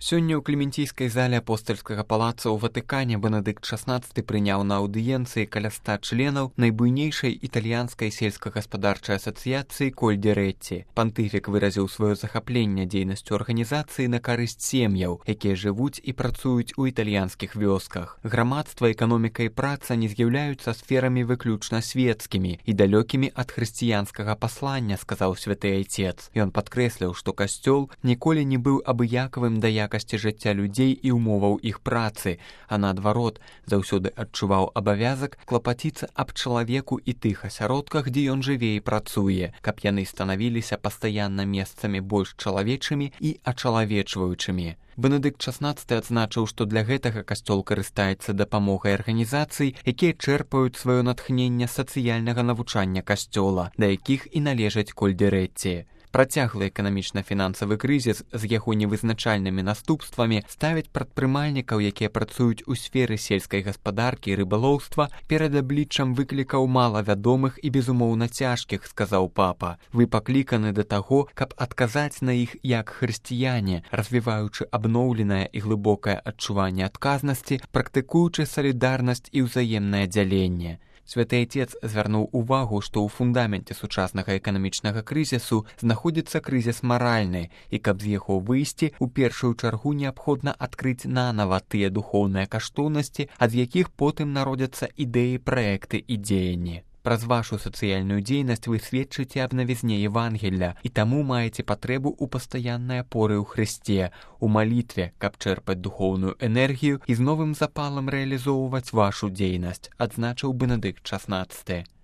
Сёння ў клементійскай зале апостальскага палаца ў Ватыкане Бенедыкт XVI прыняў на аўдыенцыі каля 100 членаў найбуйнейшай італьянскай сельскагаспадарчай асацыяцыі Кольдзерэці. Пантыфік выразіў сваё захапленне дзейнасцю арганізацыі на карысць сем'яў, якія жывуць і працуюць у італьянскіх вёсках. Грамадства, эканоміка і праца не з'яўляюцца сферамі выключна свецкімі і далёкімі ад хрысціянскага паслання, сказаў святы айцец. Ён падкрэсліў, што касцёл ніколі не быў абыякавым да якасці жыцця людзей і ўмоваў іх працы, а наадварот, заўсёды адчуваў абавязак клапаціцца аб чалавеку і тых асяродках, дзе ён жыве і працуе, каб яны станавіліся пастаянна месцамі больш чалавечымі і ачалавечваючымі. Бенедыкт XVI адзначыў, што для гэтага касцёл карыстаецца дапамогай арганізацый, якія чэрпаюць сваё натхненне сацыяльнага навучання касцёла, да якіх і належаць Кольдзерэці. Працяглы эканамічна-фінансавы крызіс з яго невызначальнымі наступствамі ставяць прадпрымальнікаў, якія працуюць у сферы сельскай гаспадаркі і рыбалоўства, перад абліччам выклікаў малавядомых і безумоўна цяжкіх, сказаў папа. Вы пакліканы да таго, каб адказаць на іх як хрысціяне, развіваючы абноўленае і глыбокае адчуванне адказнасці, практыкуючы салідарнасць і ўзаемнае дзяленне. Святы айцец звярнуў увагу, што ў фундаменце сучаснага эканамічнага крызісу знаходзіцца крызіс маральны, і каб з яго выйсці, у першую чаргу неабходна адкрыць нанава тыя духоўныя каштоўнасці, ад якіх потым народзяцца ідэі, праекты і дзеянні. Праз вашу сацыяльную дзейнасць вы сведчыце аб навізне Евангелля і таму маеце патрэбу ў пастаяннай апоры ў Хрысце, у малітве, каб чэрпаць духоўную энергію і з новым запалам рэалізоўваць вашу дзейнасць, адзначыў Бенедыкт XVI.